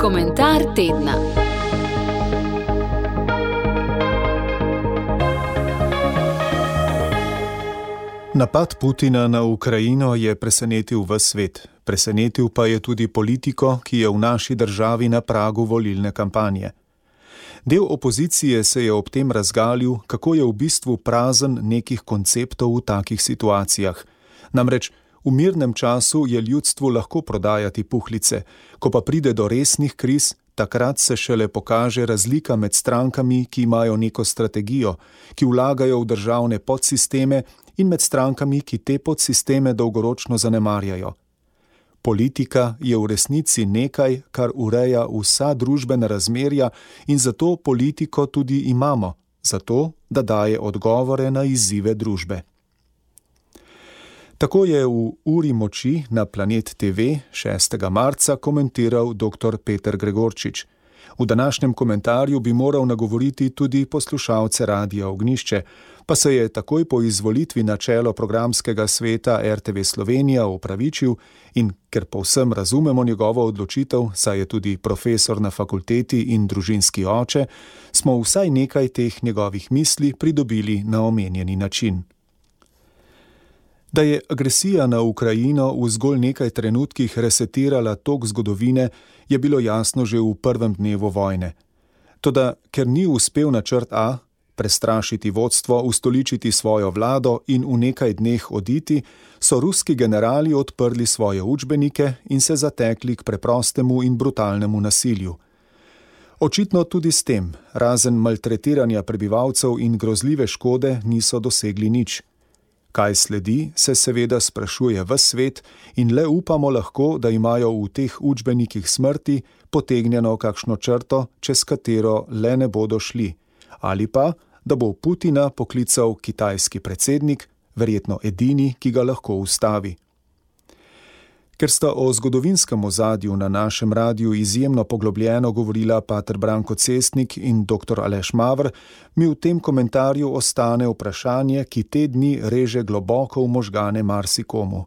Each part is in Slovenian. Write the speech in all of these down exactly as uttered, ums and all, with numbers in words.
Komentar tedna. Napad Putina na Ukrajino je presenetil ves svet. Presenetil pa je tudi politiko, ki je v naši državi na pragu volilne kampanje. Del opozicije se je ob tem razgalil, kako je v bistvu prazen nekih konceptov v takih situacijah. Namreč v mirnem času je ljudstvu lahko prodajati puhlice, ko pa pride do resnih kriz, takrat se šele pokaže razlika med strankami, ki imajo neko strategijo, ki vlagajo v državne podsisteme, in med strankami, ki te podsisteme dolgoročno zanemarjajo. Politika je v resnici nekaj, kar ureja vsa družbena razmerja in zato politiko tudi imamo, zato, da daje odgovore na izzive družbe. Tako je v Uri moči na Planet te ve šestega marca komentiral doktor Peter Gregorčič. V današnjem komentarju bi moral nagovoriti tudi poslušalce Radia Ognjišče, pa se je takoj po izvolitvi na čelo programskega sveta er te ve Slovenija opravičil in ker povsem razumemo njegovo odločitev, saj je tudi profesor na fakulteti in družinski oče, smo vsaj nekaj teh njegovih misli pridobili na omenjeni način. Da je agresija na Ukrajino v zgolj nekaj trenutkih resetirala tok zgodovine, je bilo jasno že v prvem dnevu vojne. Toda ker ni uspel načrt A, prestrašiti vodstvo, ustoličiti svojo vlado in v nekaj dneh oditi, so ruski generali odprli svoje učbenike in se zatekli k preprostemu in brutalnemu nasilju. Očitno tudi s tem, razen maltretiranja prebivalcev in grozljive škode, niso dosegli nič. Kaj sledi, se seveda sprašuje ves svet in le upamo lahko, da imajo v teh učbenikih smrti potegnjeno kakšno črto, čez katero le ne bodo šli, ali pa, da bo Putina poklical kitajski predsednik, verjetno edini, ki ga lahko ustavi. Ker sta o zgodovinskem ozadju na našem radiju izjemno poglobljeno govorila pater Branko Cestnik in doktor Aleš Mavr, mi v tem komentarju ostane vprašanje, ki te dni reže globoko v možgane marsikomu.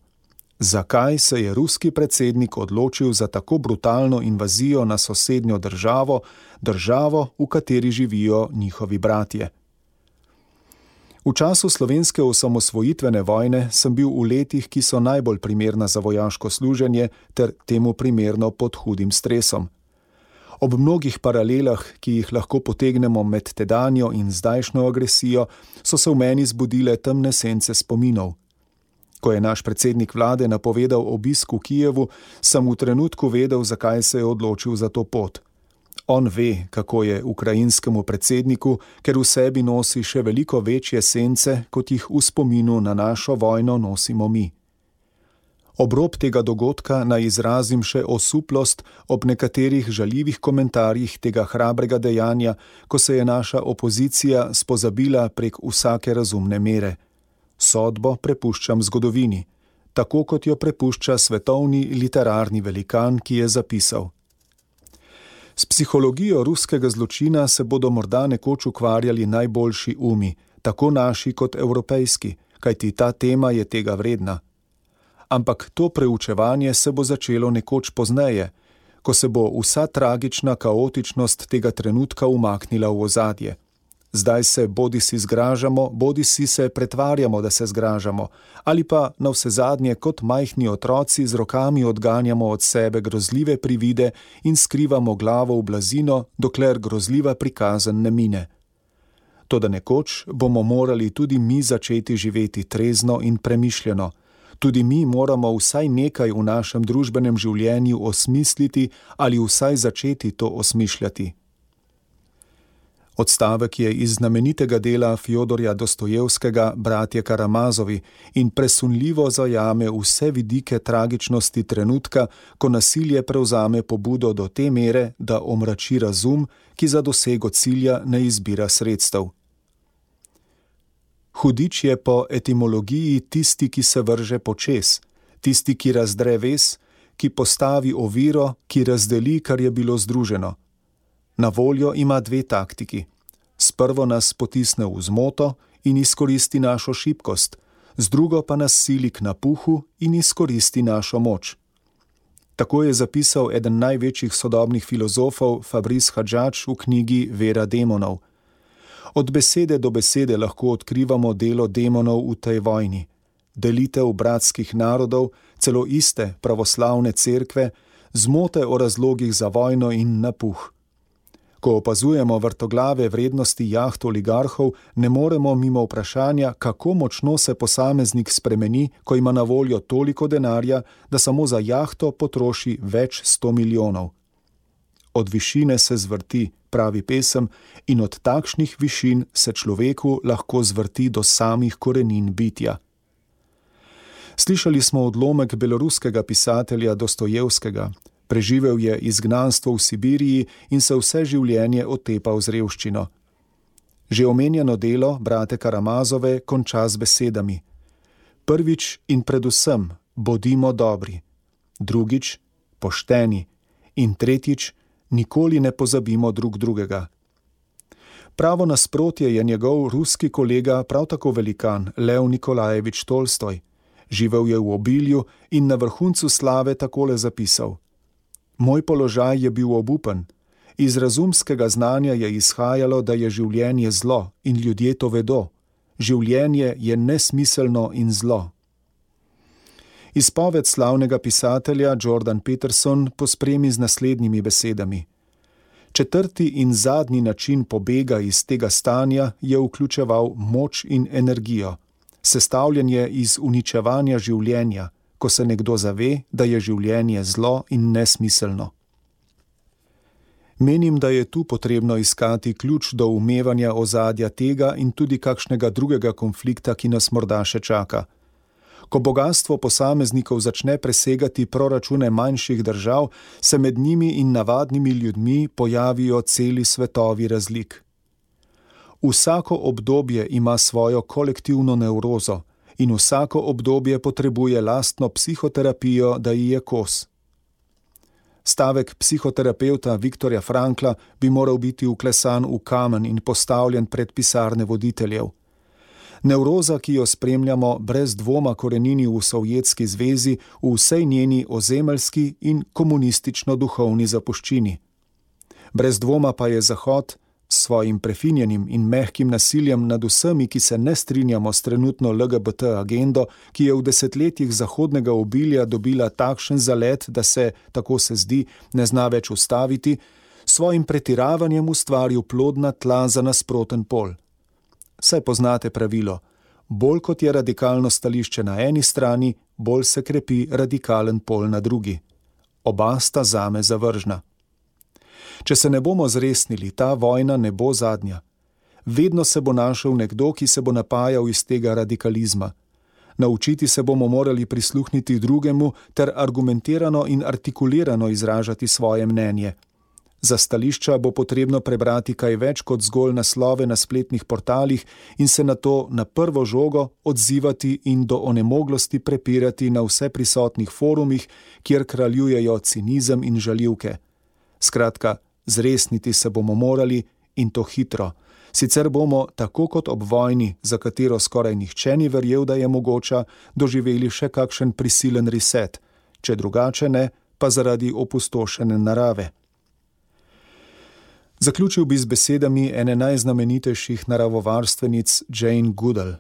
Zakaj se je ruski predsednik odločil za tako brutalno invazijo na sosednjo državo, državo, v kateri živijo njihovi bratje? V času slovenske osamosvojitvene vojne sem bil v letih, ki so najbolj primerna za vojaško služenje ter temu primerno pod hudim stresom. Ob mnogih paralelah, ki jih lahko potegnemo med tedanjo in zdajšnjo agresijo, so se v meni zbudile temne sence spominov. Ko je naš predsednik vlade napovedal obisk v Kijevu, sem v trenutku vedel, zakaj se je odločil za to pot. On ve, kako je ukrajinskemu predsedniku, ker v sebi nosi še veliko večje sence, kot jih v spominu na našo vojno nosimo mi. Ob rob tega dogodka naj izrazim še osuplost ob nekaterih žaljivih komentarjih tega hrabrega dejanja, ko se je naša opozicija spozabila prek vsake razumne mere. Sodbo prepuščam zgodovini, tako kot jo prepušča svetovni literarni velikan, ki je zapisal: S psihologijo ruskega zločina se bodo morda nekoč ukvarjali najboljši umi, tako naši kot evropejski, kajti ta tema je tega vredna. Ampak to preučevanje se bo začelo nekoč pozneje, ko se bo vsa tragična kaotičnost tega trenutka umaknila v ozadje. Zdaj se bodisi zgražamo, bodisi se pretvarjamo, da se zgražamo, ali pa navsezadnje kot majhni otroci z rokami odganjamo od sebe grozljive privide in skrivamo glavo v blazino, dokler grozljiva prikazen ne mine. Toda nekoč bomo morali tudi mi začeti živeti trezno in premišljeno. Tudi mi moramo vsaj nekaj v našem družbenem življenju osmisliti ali vsaj začeti to osmišljati. Odstavek je iz znamenitega dela Fjodorja Dostojevskega Bratje Karamazovi in presunljivo zajame vse vidike tragičnosti trenutka, ko nasilje prevzame pobudo do te mere, da omrači razum, ki za dosego cilja ne izbira sredstev. Hudič je po etimologiji tisti, ki se vrže počez, tisti, ki razdre vez, ki postavi oviro, ki razdeli, kar je bilo združeno. Na voljo ima dve taktiki. Sprvo nas potisne v zmoto in izkoristi našo šibkost, z drugo pa nas sili k napuhu in izkoristi našo moč. Tako je zapisal eden največjih sodobnih filozofov Fabrice Hadžadž v knjigi Vera demonov. Od besede do besede lahko odkrivamo delo demonov v tej vojni. Delitev bratskih narodov, celo iste pravoslavne cerkve, zmote o razlogih za vojno in napuh. Ko opazujemo vrtoglave vrednosti jaht oligarhov, ne moremo mimo vprašanja, kako močno se posameznik spremeni, ko ima na voljo toliko denarja, da samo za jahto potroši več sto milijonov. Od višine se zvrti, pravi pesem, in od takšnih višin se človeku lahko zvrti do samih korenin bitja. Slišali smo odlomek beloruskega pisatelja Dostojevskega. Preživel je izgnanstvo v Sibiriji in se vse življenje otepal z revščino. Že omenjeno delo brate Karamazove konča z besedami: prvič in predvsem bodimo dobri, drugič pošteni in tretjič nikoli ne pozabimo drug drugega. Pravo nasprotje je njegov ruski kolega, prav tako velikan, Lev Nikolajevič Tolstoj. Živel je v obilju in na vrhuncu slave takole zapisal: moj položaj je bil obupen. Iz razumskega znanja je izhajalo, da je življenje zlo in ljudje to vedo. Življenje je nesmiselno in zlo. Izpoved slavnega pisatelja Jordan Peterson pospremi z naslednjimi besedami. Četrti in zadnji način pobega iz tega stanja je vključeval moč in energijo. Sestavljen je iz uničevanja življenja, ko se nekdo zave, da je življenje zlo in nesmiselno. Menim, da je tu potrebno iskati ključ do umevanja ozadja tega in tudi kakšnega drugega konflikta, ki nas morda še čaka. Ko bogastvo posameznikov začne presegati proračune manjših držav, se med njimi in navadnimi ljudmi pojavijo celi svetovi razlik. Vsako obdobje ima svojo kolektivno nevrozo in vsako obdobje potrebuje lastno psihoterapijo, da ji je kos. Stavek psihoterapevta Viktorja Frankla bi moral biti vklesan v kamen in postavljen pred pisarne voditeljev. Nevroza, ki jo spremljamo, brez dvoma korenini v Sovjetski zvezi, v vsej njeni ozemeljski in komunistično-duhovni zapuščini. Brez dvoma pa je Zahod s svojim prefinjenim in mehkim nasiljem nad vsemi, ki se ne strinjamo s trenutno L G B T agendo, ki je v desetletjih zahodnega obilja dobila takšen zalet, da se, tako se zdi, ne zna več ustaviti, svojim pretiravanjem ustvaril plodna tla za nasproten pol. Saj poznate pravilo: bolj kot je radikalno stališče na eni strani, bolj se krepi radikalen pol na drugi. Oba sta zame zavržna. Če se ne bomo zresnili, ta vojna ne bo zadnja. Vedno se bo našel nekdo, ki se bo napajal iz tega radikalizma. Naučiti se bomo morali prisluhniti drugemu ter argumentirano in artikulirano izražati svoje mnenje. Za stališča bo potrebno prebrati kaj več kot zgolj naslove na spletnih portalih in se na to na prvo žogo odzivati in do onemoglosti prepirati na vse prisotnih forumih, kjer kraljujejo cinizem in žaljivke. Skratka, zresniti se bomo morali in to hitro. Sicer bomo, tako kot ob vojni, za katero skoraj nihče ni verjel, da je mogoča, doživeli še kakšen prisilen reset, če drugače ne, pa zaradi opustošene narave. Zaključil bi z besedami ene najznamenitejših naravovarstvenic Jane Goodall.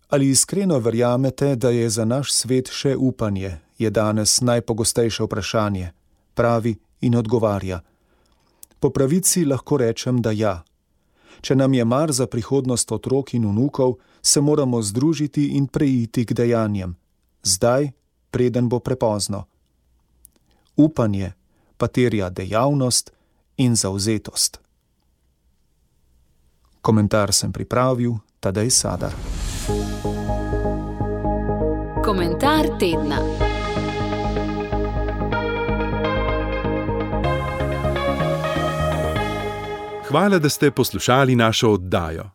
Ali iskreno verjamete, da je za naš svet še upanje, je danes najpogostejše vprašanje. Pravi in odgovarja: po pravici lahko rečem, da ja. Če nam je mar za prihodnost otrok in vnukov, se moramo združiti in preiti k dejanjem. Zdaj, preden bo prepozno. Upanje pa terja dejavnost in zavzetost. Komentar sem pripravil Tadej Sadar. Komentar tedna. Hvala, da ste poslušali našo oddajo.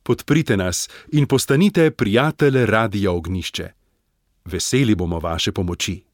Podprite nas in postanite prijatelj Radia Ognjišče. Veseli bomo vaše pomoči.